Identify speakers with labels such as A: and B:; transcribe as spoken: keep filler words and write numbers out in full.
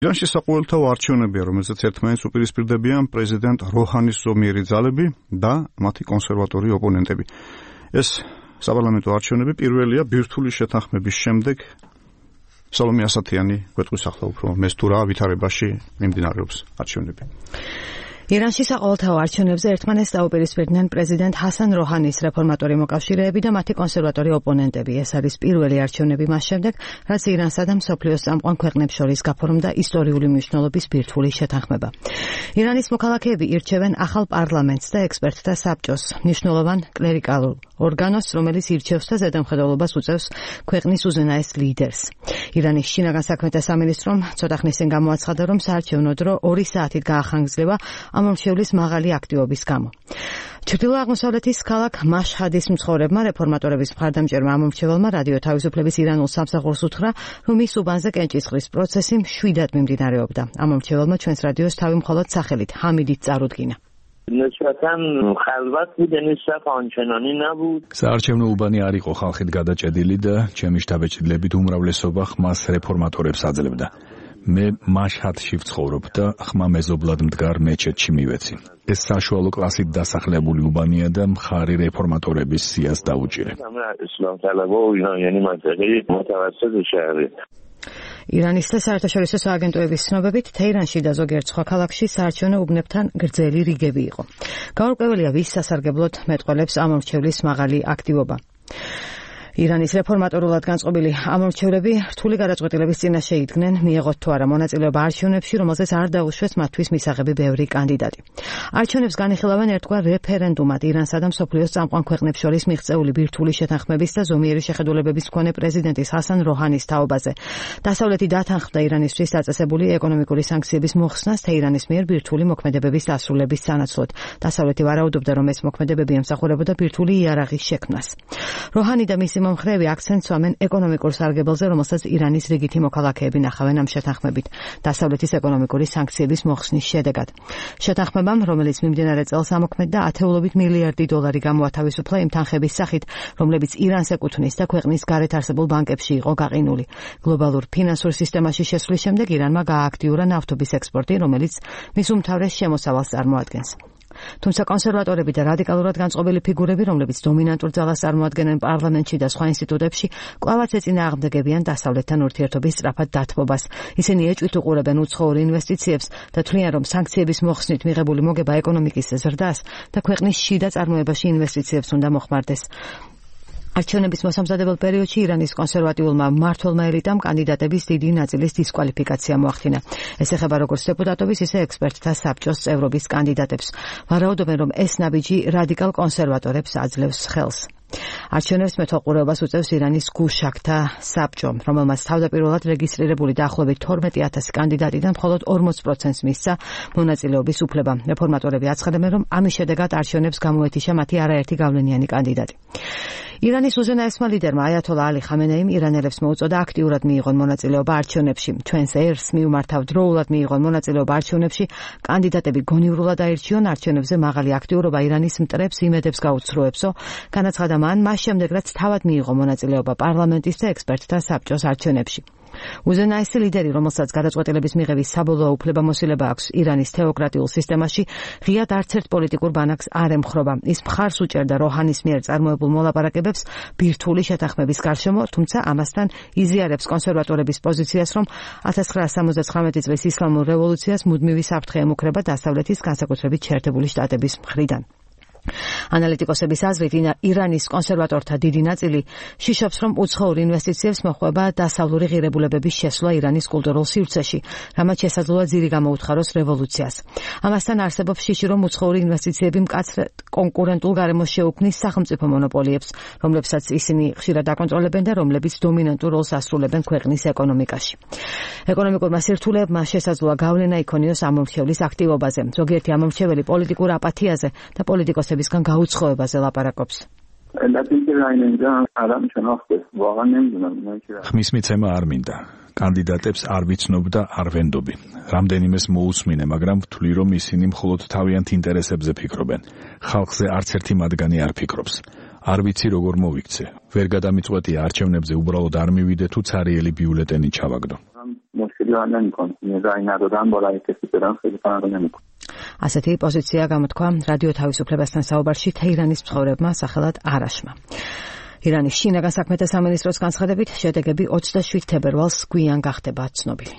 A: ირანში საყოველთაო არჩევნებია, რომელზეც ერთმანეთს უპირისპირდებიან პრეზიდენტ როჰანის ზომიერი ძალები და მათი კონსერვატორი ოპონენტები. ეს საპარლამენტო არჩევნები პირველია ბირთვული შეთანხმების შემდეგ. სალომე ასათიანი გვეტყვის ახლა უფრო მეს თუ რა ვითარებაში მიმდინარეობს არჩევნები.
B: ირანში საყოველთაო არჩევნებზე ერთმანეთს დაუპირისპირდნენ პრეზიდენტ ჰასან როჰანის რეფორმატორი მოკავშირეები და მათი კონსერვატორი ოპონენტები. ეს არის პირველი არჩევნები მას შემდეგ, რაც ირანსა და მსოფლიოს წამყვან ქვეყნებს შორის გაფორმდა ისტორიული მნიშვნელობის ბირთვული შეთანხმება. ირანის მოქალაქეები ირჩევენ ახალ პარლამენტს და ექსპერტთა საბჭოს, მნიშვნელოვან კლერიკალურ ორგანოს, რომელიც ირჩევს და ზედამხედველობას უწევს ქვეყნის უზენაეს ლიდერს. ირანის შინაგან საქმეთა სამინისტრომ ცოტა ხნის წინ გამოაცხადა, რომ საარჩევნო დრო ორი საათით გაახანგრძლივა ამომრჩევლის მაღალი აქტივობის გამო. ჩრდილო-აღმოსავლეთის ქალაქ მაშჰადის მცხოვრებმა რეფორმატორების მხარდამჭერმა ამომრჩეველმა რადიო თავისუფლების ირანულ სამსახურს უთხრა, რომ ის უბანზე კენჭისყრის პროცესი მშვიდად მიმდინარეობდა. ამომრჩეველმა ჩვენს რადიოს თავი მხოლოდ სახელით ჰამიდით წარუდგინა.
C: საარჩევნო უბანი არ იყო ხალხით გადაჭედილი და ჩემი შთაბეჭდილებით უმრავლესობა ხმას რეფორმატორებს აძლევდა. მე მაშჰადში ვცხოვრობ და ხმა მეზობლად მდგარ მეჩეთში მივეცი. ეს საშუალო კლასით დასახლებული უბანია და მხარი რეფორმატორების სიას დაუჭირე.
B: ირანის და საერთაშორისო სააგენტოების ცნობებით, თეირანში და ზოგიერთ სხვა ქალაქში საარჩევნო უბნებთან გრძელი რიგები იყო. გაურკვეველია, ვის სასარგებლოდ მეტყველებს ამომრჩევლის მაღალი აქტივობა. ირანის რეფორმატორულად განწყობილი ამომრჩევლები რთული გადაწყვეტილების წინაშე იდგნენ, მიეღოთ თუ არა მონაწილეობა არჩევნებში, რომელზეც არ დაუშვეს მათთვის მისაღები ბევრი კანდიდატი. არჩევნებს განიხილავენ ერთგვარ რეფერენდუმად ირანსა და მსოფლიოს წამყვან ქვეყნებს შორის მიღწეული ბირთვული შეთანხმების და ზომიერი შეხედულებების მქონე პრეზიდენტის ჰასან როჰანის თაობაზე. დასავლეთი დათანხმდა ირანისთვის დაწესებული ეკონომიკური სანქციების მოხსნას თეირანის მიერ ბირთვული მოქმედებების დასრულების სანაცვლოდ. დასავლეთი ვარაუდობდა, რომ ეს მოქმედებები ემსახურებოდა ბირთვული იარაღის შექმნას. როჰანი და მისი მომხრეები აქცენტს უსვამენ ეკონომიკურ სარგებელზე, რომელსაც ირანის რიგითი მოქალაქეები ნახავენ ამ შეთანხმებით, დასავლეთის ეკონომიკური სანქციების მოხსნის შედეგად. შეთანხმებამ, რომელიც მიმდინარე წელს ამოქმედდა, ათეულობით მილიარდი დოლარი გამოათავისუფლა იმ თანხების სახით, რომლებიც ირანს ეკუთვნის და ქვეყნის გარეთ არსებულ ბანკებში იყო გაყინული. გლობალურ ფინანსურ სისტემაში შესვლის შემდეგ ირანმა გაააქტიურა ნავთობის ექსპორტი, რომელიც მის უმთავრეს შემოსავალს წარმოადგენს. თუმცა კონსერვატორები და რადიკალურად განწყობილი ფიგურები, რომლებიც დომინანტურ ძალას წარმოადგენენ პარლამენტში და სხვა ინსტიტუტებში, კვლავაც ეწინააღმდეგებიან დასავლეთთან ურთიერთობის სწრაფად დათბობას. ისინი ეჭვით უყურებენ უცხოურ ინვესტიციებს და თვლიან, რომ სანქციების მოხსნით მიღებული მოგება ეკონომიკის ზრდას და ქვეყნის შიდა წარმოებაში ინვესტიციებს უნდა მოხმარდეს. არჩევნების მოსამზადებელ პერიოდში ირანის კონსერვატიულმა მმართველმა ელიტამ კანდიდატების დიდი ნაწილის დისკვალიფიკაცია მოახდინა. ეს ეხება როგორც დეპუტატობის, ისე ექსპერტთა საბჭოს წევრობის კანდიდატებს. ვარაუდობენ, რომ ეს ნაბიჯი რადიკალ კონსერვატორებს აძლევს ხელს. არჩევნებს მეთვალყურეობას უწევს ირანის გუშაქთა საბჭო, რომელმაც თავდაპირველად რეგისტრირებული დაახლოებით თორმეტი ათასი კანდიდატიდან მხოლოდ ორმოც პროცენტს მისცა მონაწილეობის უფლება. რეფორმატორები აცხადებენ, რომ ამის შედეგად არჩევნებს გამოეთიშა მათი არაერთი გავლენიანი კანდიდატი. ირანის უზენაესმა ლიდერმა აიათოლა ალი ხამენეიმ ირანელებს მოუწოდა აქტიურად მიიღონ მონაწილეობა არჩევნებში. ჩვენს ერს მიუმართავ დროულად მიიღონ მონაწილეობა არჩევნებში, კანდიდატები გონივრულად აირჩიონ, არჩევნებზე მაღალი აქტიურობა ირანის მტრებს იმედებს გაუცრუებსო, განაცხადა მან მას შემდეგ, რაც თავად მიიღო მონაწილეობა პარლამენტის და ექსპერტთა საბჭოს არჩევნებში. უზენაესი ლიდერი, რომელსაც გადაწყვეტილების მიღების საბოლოო უფლებამოსილება აქვს ირანის თეოკრატიულ სისტემაში, ღიად არც ერთ პოლიტიკურ ბანაკს არ ემხრობა. ის მხარს უჭერდა როჰანის მიერ წარმოებულ მოლაპარაკებებს ბირთვული შეთანხმების გარშემო, თუმცა ამასთან იზიარებს კონსერვატორების პოზიციას, რომ ათას ცხრაასი სამოცდათხრამეტი წლის ისლამურ რევოლუციას მუდმივი საფრთხე ემუქრება დასავლეთის, განსაკუთრებით შეერთებული შტატების მხრიდან. ანალიტიკოსების აზრით, ირანის კონსერვატორთა დიდი ნაწილი შიშობს, რომ უცხოურ ინვესტიციებს მოჰყვება დასავლური ღირებულებების შესვლა ირანის კულტურულ სივრცეში, რამაც შესაძლოა ძირი გამოუთხაროს რევოლუციას. ამასთან არსებობს შიში, რომ უცხოური ინვესტიციები მკაცრ კონკურენტულ გარემოს შეუქმნის სახელმწიფო მონოპოლიებს, რომლებსაც ისინი ხშირად აკონტროლებენ და რომლებიც დომინანტურ როლს ასრულებენ ქვეყნის ეკონომიკაში. ეკონომიკურმა სირთულეებმა შესაძლოა გავლენა იქონიოს ამომრჩევლის აქტივობაზე. ზოგიერთი ამომრჩეველი პოლიტიკურ აპათიაზე და პოლიტიკოსების بسکن გაუცხოებაზე ლაპარაკობს.
C: ხმის მიცემა არ მინდა. კანდიდატებს არ ვიცნობ და არ ვენდობი. რამდენიმეს მოусმინე, მაგრამ ვთვლი, რომ ისინი მხოლოდ თავიანთ ინტერესებზე ფიქრობენ. ხალხზე არც ერთი მათგანი არ ფიქრობს. არ ვიცი როგორ მოვიქცე. ვერ გადამიწყვეტია არჩევნებზე უბრალოდ არ მივიდე თუ ცარიელი ბიულეტენი ჩავაგდო.
D: راه نمیکنه رای ندادن با رای کسی بدن خیلی فرق نمیکنه.
B: ასეთი პოზიცია გამოთქვა რადიო თავისუფლებასთან საუბარში თეირანის მცხოვრებმა სახელად არაშმა. ირანის შინაგან საქმეთა სამინისტროს განცხადებით შედეგები ოცდაშვიდ თებერვალს გვიან გახდება ცნობილი.